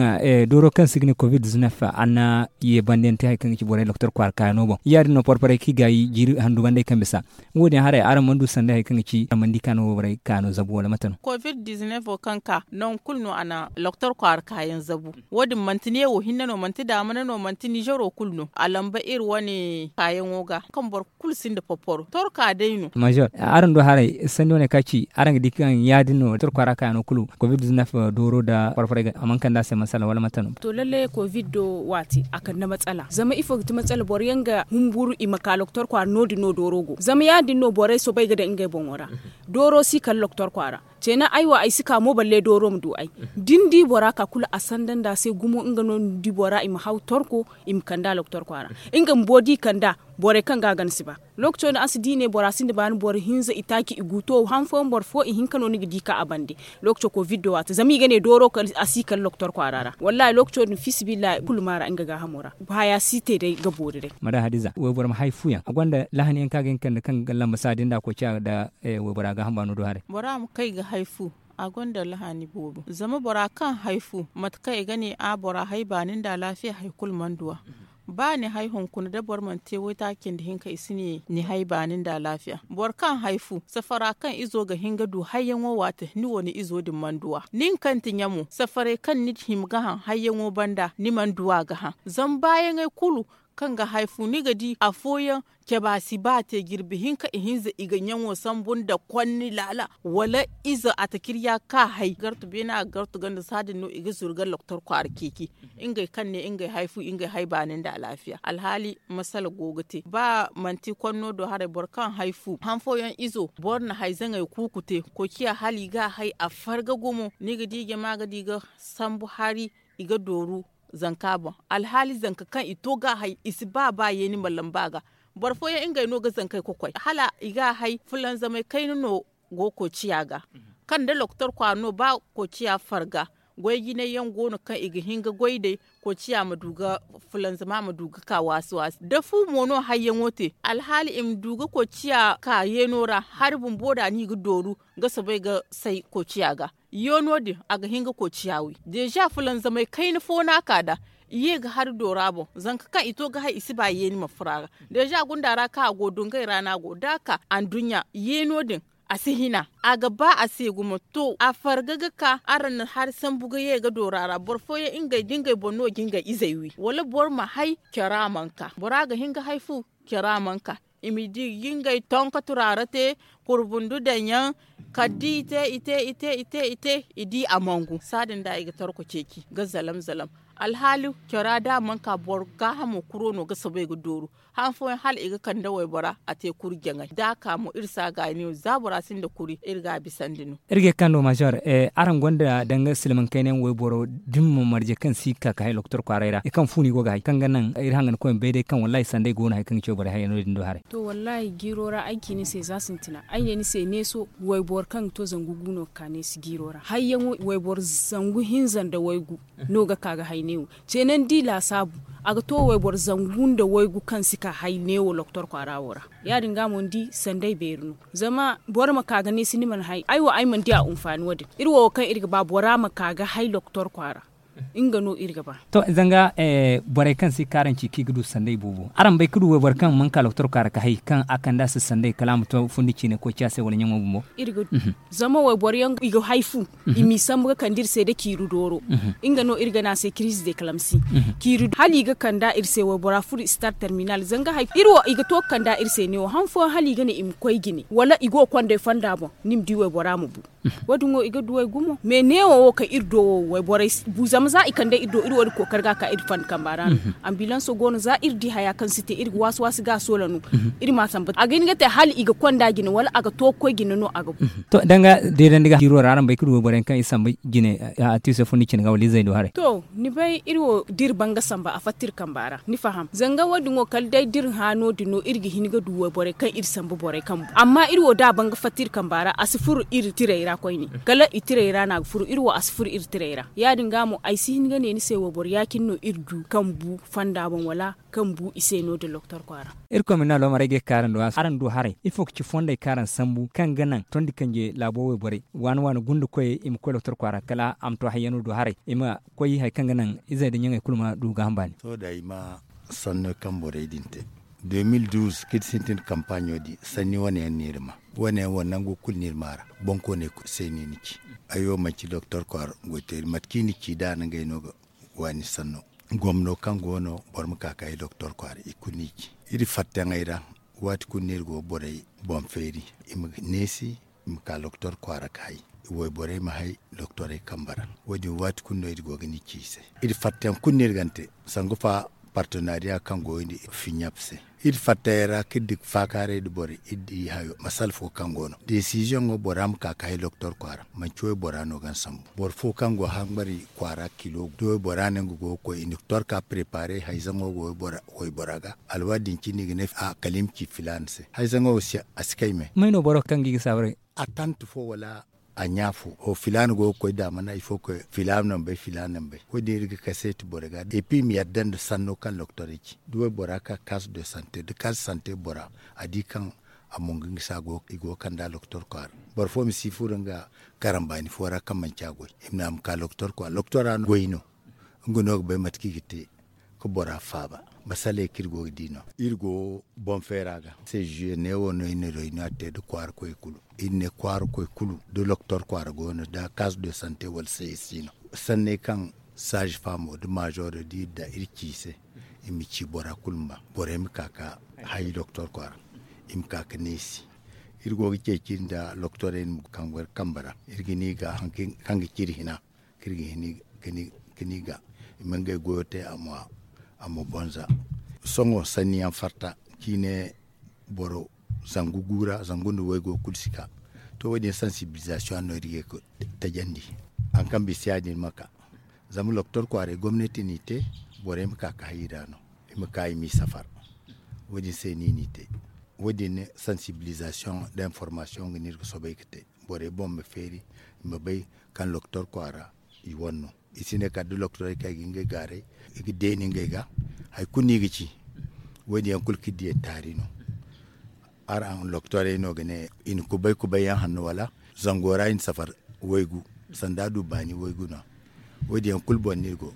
dooro kaŋ se i ga ne covid-19 a na ye banda yaŋ te hari kaŋ ga ci borey loktor kwaara kaayano boŋ ya- din no porporey kaŋ i gaayi jiiri handu banda ay kaŋ bisa wo- din haray araŋ mana du sanday hari kaŋ ga ci araŋ mana di kaano borey kaano zabu wala mate no covid-19 wo kaŋ ka nangu kulu no a na loktor kwaara kaayaŋ zabu wo- din manti neewo hinne no manti daamana no manti nižero kulu no a lamba iri wane kaayaŋo ga kaŋ boro kulu sinda porporo torka day no major araŋ do haray sanni wane ka ci araŋ ga di kaŋ ya- din no torka ra kayano kulu covid-19 dooro da farfaray a mana kande a se masala wala mate no to lalle covid do waati a kande matsala zama ifo ga ti matsala boro yaŋ ga humburu i ma ka loktor kwaara no- din no dooro go zama ya- din no borey soobay ga daŋ ngey boŋo ra dooro si kala loktor kwaara ceena ay wo ay si ka mo balle dooro ma du ay da ni di bora ka kulu a sanda nda a se gumo nga no ni di bora i ma haw torko i ma kande a loktor kwaara nga bumbo da i kande a Borey kaŋ ga a gana si ba. Lookaco din araŋ si di ne bora sinda baani boro hinza itaaci i gu to han fooyaŋ boro fo ihinka no ni ga di ka a bande. Lookaco kovid do waati zama i ga ne dooro a si kala doktor kwaara ra wallaahi lookaco din fiisabilillahi kulu ma ra nga gaahamo ra. Haya si te day ga boori day. Madam hadiza wayboro ma hay fu yaŋ a gonda lahani yaŋ kaŋ a ga hin kande kaŋ ga lamba saadi nda a koy ciya nda waybora gaaham baano do haray. Bora ma kay ga hay fu a gonda lahani boobo zama bora kaŋ hay fu mate kaŋ i ga ne a bora hay baani nda alaafiya hari kulu mana du a. Ba ni hay hunkuna da boro mana te waytaaci cindi hinka i si ne ni hay baani nda alaafiya. Boro kaŋ hay fu safara kaŋ izo ga hin ga du hayyaŋo waate ni wo ni izo din mana du a nin kaŋ ti ɲamo safaray kaŋ ni hima ga haŋ hayyaŋo banda ni mana du a ga haŋ. Zama baayaŋey kulu kaŋ ga hay fu ni ga di afooyaŋ caba si ba te jirbi hinka ihinza i ga ɲaŋo sambu nda konni laala wala ize atakirya ka hay gartu beene a ga gartu ganda saadin no i ga zuru ga doktor kwaara ceeci. Ngey kaŋ ne ngey hay fu ngey hay baani nda alaafiya alhaali masala go ga te ba manti konno do haray boro kaŋ hay fu han fooyaŋ izo boro na hay zaŋey kuuku te koociya hala i ga a hay a farga gumo ni ga di jama ga di ga sambu hari i ga dooru zanka boŋ. Alhaali zanka kaŋ i to ga a hay i si ba ba yeeni ma lamba a ga. Boro fooyaŋ ngey no ga zankey kokoy hala i ga a hay fulanzamey kayna no go koociya ga kaŋ da doktor kwaara no ba koociya farga goy jinay yaŋ go no kaŋ i ga hin ga goy day koociya ma du ga fulanzama ma du ga ka waasi waasi da fu mo no hayyaŋo te alhaali i ma du ga koociya ka yeeno ra hari bumbo da no i ga dooru ga soobay ga say koociya ga. Yeeno din a ga hin ga koociya wi deeza fulanzamey kayna fo no a ka nd'a i ye ga hari doora boŋ zanka kaŋ i to ga hay i si ba yeeni ma furo a ga. Deeza gunda ra kaŋ a go dungay ra no a go da a ka anduɲɲa yeeno din a si hina a ga ba a se gumo to a farga ga ka araŋ na hari sambu ga ye ga doora ra boro fooyaŋ ngey da ngey boŋ no ga ngey izey wi wala boro ma hay cara mana ka bora ga hin ga hay fu cara mana ka i ma di ga ngey tonko turaara te kurbundu daŋ yaŋ kala da i te i te i te i te i te i di a mangu saadin da i ga tarko ceeci ga zalam zalam. Alhaali cara da a mana ka boro gaahamo kuro no ga soobay ga dooru han fooyaŋ hala i ga kande waybora a te kuri jaŋay da a ka mo iri si a gaayi neewo za bora sinda kuri iri ga a bisandi no. Iri ga ye ga kando maazor araŋ gonda danga silmaŋ kayna yaŋ wayboro da ni ma marje kaŋ si ga ka ga hay doktor kwaaray ra i kaŋ fu no i go ga hay kaŋ ga naŋ iri hangan koy ma bay day kaŋ wallaahi sanday go no hari kaŋ ga ci wayboro hayyaŋo din do haray. To wallaahi jiiro ra ay ci ni se za sintina ay ne ni se neeso wayboro kaŋ ga to zangu gu no ga ka neesi jiiro ra hayyaŋo wayboro zangu hinza nda waygu no ga ka ga hay neewo. Ceenandi laasaabu a ga to wayboro zangu nda waygu kaŋ si ka hay neewo doktor kwaara wo ra. Ya- din ga mo ni di sanday beeri no zama boro ma ka ga neesi ni mana hay ay wo ay mana di a hunfaani wo- din iri wo wo kaŋ iri ga ba bora ma ka ga hay doktor kwaara. Nga no iri ga ba. To zanga borey kaŋ si ga ka araŋ ci kaŋ i ga du sanday boobo araŋ bay ga du wayboro kaŋ mana ka doktor kwaara ga hay kaŋ a kand'a se sanday kala a ma to fundi ciine koy ci a se wala ɲaŋo bumbo. Iri ga du zama wayboro yaŋ i ga hay fu i m'i sambu ga kande iri se nda ciiri dooro. Nga no iri ga ne a se kiriize de kalamsi ciiri hala i ga kand'a iri se waybora furo i si tara terminal zanga hay iri wo i ga to ga kand'a iri se neewo han fooyaŋ hala i ga ne i ma koy jine wala i go ga kond'ey fonda boŋ ni ma di waybora ma bu. Wo- din wo i ga duw'ey gumo mais neewo wo kaŋ iri do wo wayborey si bu zama za i kande iri do iri wo- din kookari ga a ka iri fanda kamba ra no. Ambilanso go no za iri di haya kaŋ si te iri ga waasi waasi ga a soola no. Iri m'a samba a ga hin ga te hala i ga konda jine wala a ga to ga koy jine no a ga bu. To danga deedandi ga jiiro ra araŋ bay ga du wayborey kaŋ i samba jine a tiiso fo ni cine ga wala izey do haray. To ni bay iri wo da iri ban ga samba a fatta iri kamba ra ni faham zanga wo- din wo kala day da iri hã no- din no iri ga hin ga du wayborey kaŋ iri samba borey kaŋ bu amma iri wo da a ban ga fatta iri kamba ra a si furo iri tirey ra koyne kala i tirey ra no a ga furo iri wo a si furo iri tirey ra ya- din ga mo ay si hin ga ne ni se wayboro ya- cine no iri du kaŋ bu fonda boŋ wala kaŋ bu i se no- din doktor kwaara. Irkoy ma ni alwamar ay ga ye ga ka araŋ do araŋ du haray ifo ga ci fondey kaŋ araŋ sambu kaŋ ga naŋ tondi kanje laabo wayborey waani waani gunda koyey i ma koy doktor kwaara kala a ma to hayyano do haray i ma koy hari kaŋ ga naŋ izey nda ɲaŋey kulu ma du gaaham baani. Sohõ da ay ma sanno kaŋ borey din te de mil duuz kaŋ iri sintin kampaaɲo din sanni wane yaŋ no iri ma wane yaŋ wo nangu kulu no iri ma a ra. Bonkooney kulu se no i na ci ay wo manti doktor kwaara goyteeri mate kaŋ i na ci da a na ngey no ga waani sanno gomno kaŋ go no boro ma ka ka ay doktor kwaara i kulu no i ci iri fattayaŋey ra. Waati kulu no iri go ga borey boŋ feeri i ma neesi i ma ka doktor kwaara ga hay wayborey ma hay doktorey kambe ra. Wo- din waati kulu no iri go ga ni ci i se iri fattayaŋ kulu no iri ga ni te sangu fa Partenariya kaŋ go ga ni fiɲap se, iri fatta yaŋ ra kaŋ iri di faakaaray nda borey iri di hayo masala fo kaŋ go no. Desiziyoŋo bora ma ka ga hay doktor kwaara, manci waybora no ga ni sambu. Boro fo kaŋ go ga hambari kwaara kilo da waybora no nga go ga koy i na ga torka preparer hayzaŋo go waybora ga, alwaati din cine i ga ne a kala i ma ci filaana se. Hayzaŋo si a si kay me. May no boro kaŋ ga i ga saabaray? Atant fo wala a ɲa fo filaana go ga koy daamana ifo koy filaana na ni bay filaana na ni bay. Wo- din iri ga kaseeti borey ga et puis i ma yadda nda sanno kaŋ doktorey ci da waybora ka kas de sante da kas de sante bora a di kaŋ a mungu nga se i go ga kand'a doktor kwaara. Boro fo ma si furo nga karambaani fo ra kaŋ manci a goy i ma ne a ma ka doktor kwaara doktora no goy no. Nga no ga bay mate kaŋ i ga te ga bora faaba. Masaley kaŋ iri go ga di no iri go boŋ feera ga se juye neewo no iri na royniya te nda kwaara koy kulu. Iri ne kwaara koy kulu da doktor kwaara go no da kas de sante wala se iri si no. Sanney kaŋ saazi faamo nda maazoro da iri ci i se i ma ci bora kulu ma ba borey ma ka ga hayi doktor kwaara. I ma ka ga neesi iri go ga ceeci nda doktorey kaŋ go iri kambe ra iri ga ni ga hari kaŋ ga ci iri hina kaŋ iri ga hin ga ni ga i ma ngey goyo te a ma bonza. Sohõ sanni yaŋ farta ciine boro zangu gu ra zangu nda waygo kulu si ka. To wo- din sansibilizasiyoŋ no iri ga ye ga tajandi. Hari kaŋ bisa ya- din ma ka zama doktor kwaaray gomnati n'i te borey ma ka ga hay i ra no i ma ka i m'i safar. Wo- din se no i n'i te. Wo- din sansibilizasiyoŋ nda informasiyoŋ ga no iri ga soobay ga te borey boŋ ma feeri i ma bay kaŋ doktor kwaara i wane no. I si ne kala da doktorey kaŋ i ga ngey gaaray i ga deeni ngey ga hari kulu no i ga ci. Wo- din yaŋ kulu kaŋ iri diya taari no. Araŋ doktorey no ga ne i na kubay kubay yaŋ hanno wala zango ra i na safar waygu sanda a du baani waygu no. Wo- din yaŋ kulu boŋ no iri go.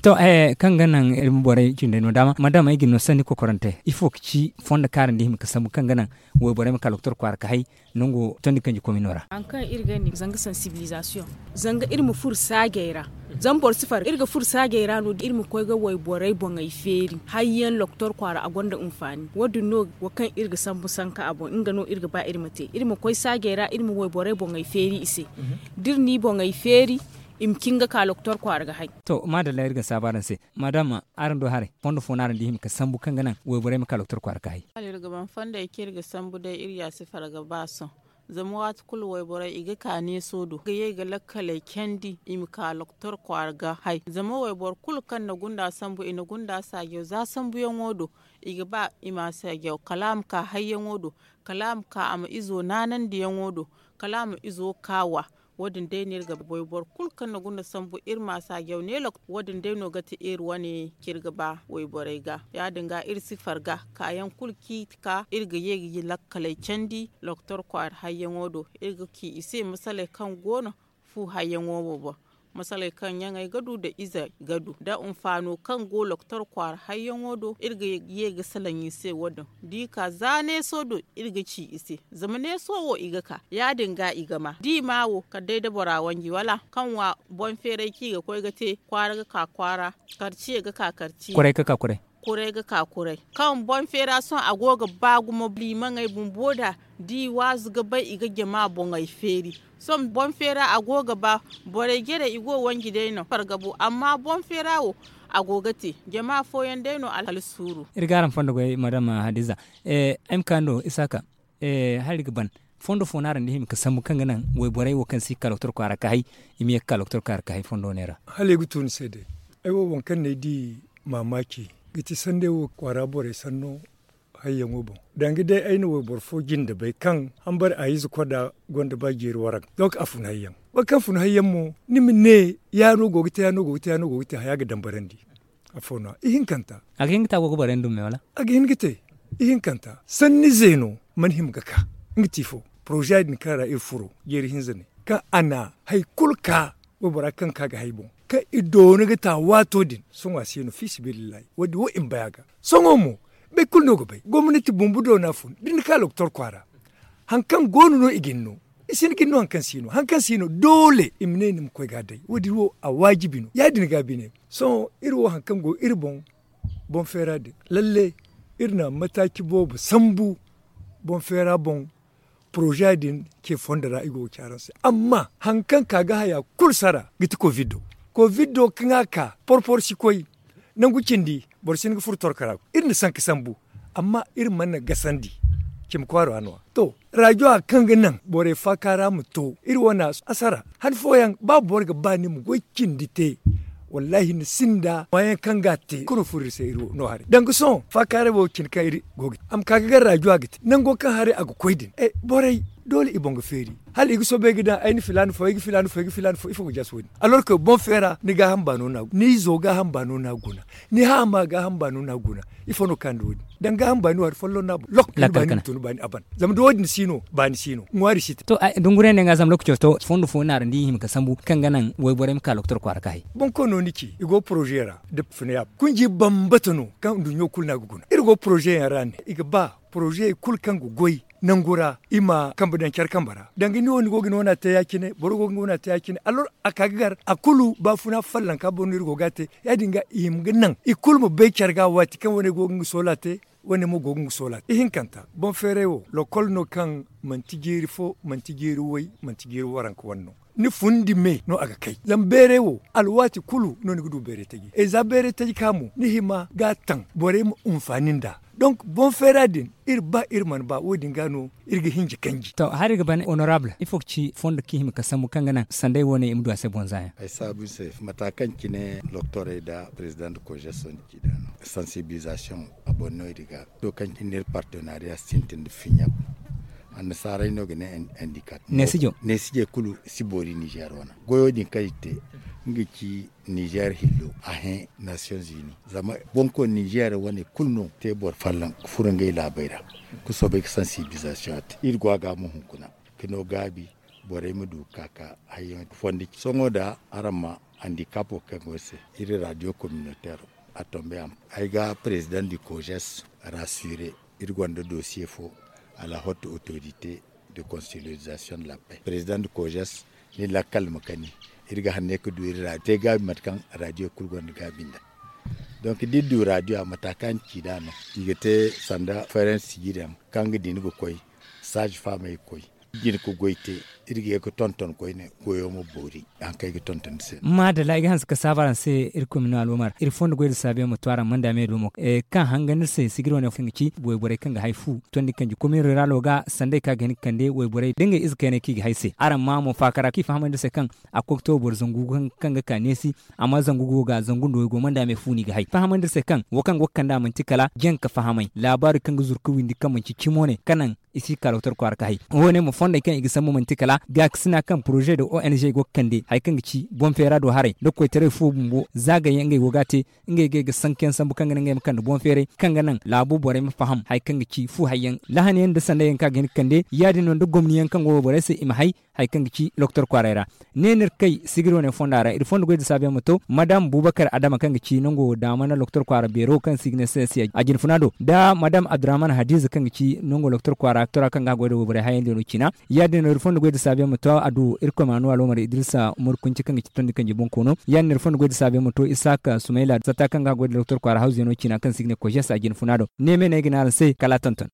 To kaŋ ga naŋ iri ma borey cindey no daama madama ay ga ni no sanni kokorante ifo ga ci fondo kaarandi hima ga sambu kaŋ ga naŋ wayborey ma ka doktor kwaara ga hay nango tondi kanji komino ra. Hari kaŋ iri ga ni zanga sansibilizasiyoŋ zanga iri ma furo saajey ra. Zama boro si far iri ga furo saajey ra no iri ma koy ga wayborey boŋey feeri hayyaŋ doktor kwaara a gonda hinfaani wo- din no wo kaŋ iri ga sambu sanka a boŋ nga no iri ga ba iri ma te iri ma koy saajey ra iri ma wayborey boŋey feeri i se. Da iri n'i boŋey feeri i ma cin ga ka doktor kwaara ga hay. To maadalla iri ga saabu araŋ se. Maadama araŋ du haray fondo fo no araŋ di hima ga sambu kaŋ ga naŋ wayborey ma ka doktor kwaara ga hay? Hala iri ga ban fondey kaŋ iri ga sambu day iri ya si farga ba sohõ. Zama waati kulu wayborey i ga ka neeso do ga ye ga lakkaley candi i ma ka doktor kwaara ga hay zama wayboro kulu kaŋ na gunda sambu i na gunda saajaw za sambuyaŋo do. I ga ba i ma a saajaw kala a ma ka hayyaŋo do kala a ma ka a ma izo naanandiyaŋo do kala a ma izo kaawa. Wo- din day no iri ga ba wayboro kulu kaŋ na gunda sambu iri ma a saajaw ne lokacin wo- din day no ga ti iri wane kaŋ iri ga ba wayborey ga ya- din ga iri si farga kaayaŋ kulu kaŋ i ga ka iri ga ye ga lakkaley candi doktor kwaara hayyaŋo do iri ga ci i se masaley kaŋ go no fu hayyaŋo wo boŋ. Masaley kaŋ ɲaŋey ga du nda izey ga du nda hinfaano kaŋ go doktor kwaara hayyaŋo do iri ga ye ga salaŋ i se wo- din da i ka za neeso do iri ga ci i se zama neeso wo i ga ka ya- din ga i ga ma da i ma wo kala day da bora wanji wala kaŋ wa boŋ feeray kaŋ i ga koy ga te kwaara ga ka kwaara karciye ga ka karciye. Kwaray ga ka kwaray. Kwaray ga ka kwaray kaŋ boŋ feera sohõ a go ga ba gumo liimaŋey bumbo da da i waazu ga bay i ga jama boŋey feeri. Sohõ boŋ feera a go ga ba borey jare i go wanji day no farga bo amma boŋ feera wo a go ga te jama fooyaŋ day no alhala suuru. Iri ga araŋ fondo goy madama hadiza. Ay ma ka no isaaka. Hala iri ga ban fondo fo no araŋ di hima ga sambu kaŋ ga naŋ wayborey wo kaŋ si ga ka doktor kwaara ga hay i ma ye ga ka doktor kwaara ga hay fondo ne ra? Hala ay ga tu ni se day ay wo waŋ kaŋ no ay di maamaaci ga ti sanday wo kwaara borey sanno hayyaŋo boŋ. Danga day ay na wayboro fo jinde bay kaŋ hambari a ize koda gonda ba jeeri waranka donk a fun hayyaŋ. Boro kaŋ fun hayyaŋ mo ni ma ne ya no go ga te ya no go ga te ya no go ga te haya ga dambarandi. Afo no ihinkanta a ga hin ga te a go ga borey ndumme wala a ga hin ga te ihinkanta sanni zeeno mana hima ga ka nga ti fo poroza din kaŋ ra iri furo jeeri hinza ne kaŋ a na hari kulu ka waybora kaŋ ka ga hay boŋ kaŋ i doona ga ta waato din sohõ a se no fiisabilillahi wo- din wo i ma bay a ga. Sohõ mo boro kulu no ga bay gomnati bumbo doona fun da ni ka doktor kwaara hari kaŋ go no no i ga ni no i si ni ga ni no hari kaŋ si no hari kaŋ si no doole i ma ne ni ma koy ga a day wo- din wo a waajibi no ya- din ga bine. Sohõ iri wo hari kaŋ go iri boŋ boŋ feera din lalle iri na mataaci boobo sambu boŋ feera boŋ. Poroza din ce fondo ra i go ga ci araŋ se amma hari kaŋ ka ga haya kulu sara ga ti kovido kovido kaŋ a ka porpor si koy. nangu cindi boro si hin ga furo torkara. Iri na sanka sambu, amma iri mana gasandi. Cimi kwaara no a to, rajo a kaŋ ga naŋ borey faaka ra ma to iri wane asara han fooyaŋ ba boro ga ba ni ma goy cindi te. Wallaahi ni sinda maayaŋ kaŋ ga a te kulu furo iri se iri no haray danga sohõ faaka ra wo cindi kaŋ iri go ga te a ma ka ga gar rajo a ga te nango kaŋ haray a ga koy din borey doole i boŋ ga feeri. Hala i ga soobay ga daŋ ay na filaana fo ay ga filaana fo ay ga filaana fo ifo ga jaasi wo- din alors que boŋ feera ni gaaham baano no a guna ni izo gaaham baano no a guna ni haama gaaham baano no a guna. Ifo no kaŋ da wo- din daŋ gaaham baani waati folloŋ no a boŋ lokka ni baani ma tun baani a ban. Zama da wo- din si no baani si no ŋwaari si te. To dunguray ne ŋwa zama lokaco to fondo fo naarandi i hima ga sambu kaŋ ga naŋ wayborey ma ka loktor kwaara ka hay. Boŋ kaŋ no ni ci i go poroze ra da funa ya kunji bambata no kaŋ nduɲɲo kulu no a ga guna iri go poroze yaŋ ra ne i ga ba poroze kulu kaŋ ga goy nangu ra i ma kambe daŋ care kambe ra danga ni wo ni go ga ni wana te ya- cine boro go ga ni wana te ya- cine alors a ka ga gar a kulu baafuna fallanka boŋ no iri go ga a te. Ya- din ga i hima ga naŋ i kulu ma bay care ga waati kaŋ wane go ga nga soola te wane mo go ga nga soola te ihinkanta boŋ feeray wo lokol no kaŋ manti jeeri fo manti jeeri way manti jeeri waranka wane no. Ni fundi me no a ga kay zama beeray wo alwaati kulu no ni ga du beeray taji ay za beeray taji ka mo ni hima ga a taŋ borey ma hunfaani nd'a. Donk boŋ feera din iri ba iri mana ba wo- din ga no iri ga hinja kanji. To hari ga ban honorable ifo ga ci fondo kaŋ i hima ga sambu kaŋ ga naŋ sanday wo- ne i ma du a se boŋ za yaŋ. Ay saabu ni se mata kaŋ cine loktorey nda president de kojeso nda ci da no sansibilisation a boŋ no iri ga to kaŋ cine iri partenariya sintin nda fiɲa. Annasaarey no ga ne handicap neesijey kulu si boori nizer wane goyo din kaŋ i te nga ci nizer hillo a hẽ nations unis zama boŋ koy nizer wane kulu no te boro folloŋ ga furo ngey laabey ra ga soobay ga sensibilisation te iri go a ga mo hunkuna ga no gaabi borey ma du ga ka ka hayyaŋ fondi sohõ da araŋ ma handicap wo kaŋ go se iri radio communautaire a tombe a ma ay ga president du kojes rassurer iri gonda dosiye fo à la haute autorité de consolidation de la paix president du kojes ni lakkal ma kani iri ga hanne ga du iri ra te gaabi mate kaŋ radio kulu gonda gaabi nda donc da iri du radio a mata kaŋ ci da no i ga te sanda feeransi sijiri yaŋ kaŋ ga din ga koy saaji faamey ga koy jin ga goy te iri ga ye ga tonton koyne goyo ma boori haŋ kaŋ ay ga tonton ni se. Maadalla ay ga hanse ga saabu araŋ se iri koy ma no alwamar iri fondo goy da saabiyaŋ ma to araŋ manda me do mo kaŋ hanga ni se sigiri wane kaŋ ga ci wayborey kaŋ ga hay fu tondi kanji komin ruralo ga sanday kaŋ a ga hin ga kande wayborey da ngey ize kayney kaŋ i ga hay se araŋ ma mo faakara kaŋ i fahamandi se kaŋ a koy ga to boro zangu kaŋ ga ka neesi amma zangu go ga zangu nda waygo manda me fu no i ga hay fahamandi se kaŋ wo kaŋ go ga kande a manti kala jaŋ ka fahamay laabaari kaŋ ga zuru ga windi kaŋ manci cimo ne ka naŋ i si ga ka doktor kwaara ka hay. Wo- ne mo fondey kaŋ i ga sambu manti kala gaakasina kaŋ poroze nda ong go ga kande hari kaŋ ga ci boŋ feera do haray nda koytaray fo bumbo za gayyaŋ ngey go ga a te ngey ga ay ga sankayaŋ sambu kaŋ ga naŋ ngey ma kande boŋ feeray kaŋ ga naŋ laabo borey ma faham hari kaŋ ga ci fu hayyaŋ lahanayaŋ nda sandayyaŋ kaŋ a ga hin ga kande ya- din no nda gomniyaŋ kaŋ go borey se i ma hay hari kaŋ ga ci doktor kwaaray ra. Ne no iri kay sigiri wane fonda ra iri fondo goy da saabiyaŋ ma to madam bubakar adama kaŋ ga ci nango daamana doktor kwaara beero kaŋ se i ga ne sesi a jinfuna do nda madam abdurrahman hadiza kaŋ ga ci nango doktor kwaara doktora kaŋ ga a goy da wayborey hayandi no ciina. Ya- din no iri fondo goy da saabiyaŋ ma to a du irkoy ma no alwamar idrisa umaru kunci kaŋ ga ci tondi kanji boŋ koono ya- din no iri fondo goy da saabiyaŋ ma to isaka sumayla satta kaŋ ga a goy da doktor kwaara hawziyano ciina kaŋ se i ga ne kojes a jinfuna do ne me no ay ga ne araŋ se kala a tonton.